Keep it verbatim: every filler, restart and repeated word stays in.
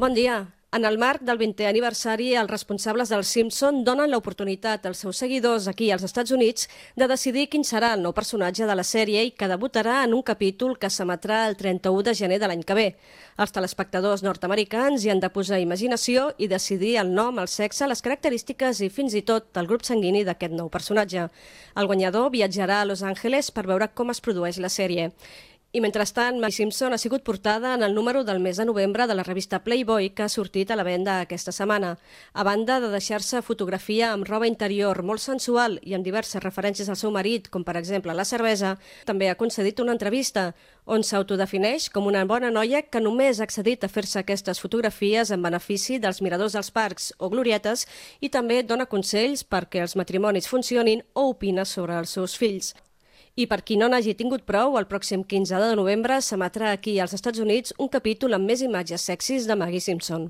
Bon dia. En el marc del vintè aniversari, els responsables dels Simpson donen l'oportunitat als seus seguidors aquí als Estats Units de decidir quin serà el nou personatge de la sèrie i que debutarà en un capítol que s'emetrà el trenta-u de gener de l'any que ve. Els telespectadors nord-americans hi han de posar imaginació i decidir el nom, el sexe, les característiques i fins i tot el grup sanguini d'aquest nou personatge. El guanyador viatjarà a Los Angeles per veure com es produeix la sèrie. I mentrestant, Maggie Simpson ha sigut portada en el número del mes de novembre de la revista Playboy, que ha sortit a la venda aquesta setmana. A banda de deixar-se fotografia amb roba interior molt sensual i amb diverses referències al seu marit, com per exemple la cervesa, també ha concedit una entrevista on s'autodefineix com una bona noia que només ha accedit a fer-se aquestes fotografies en benefici dels miradors dels parcs o glorietes i també dona consells perquè els matrimonis funcionin o opina sobre els seus fills. I per qui no n'hagi tingut prou, el pròxim quinze de novembre s'emetrà aquí als Estats Units un capítol amb més imatges sexis de Maggie Simpson.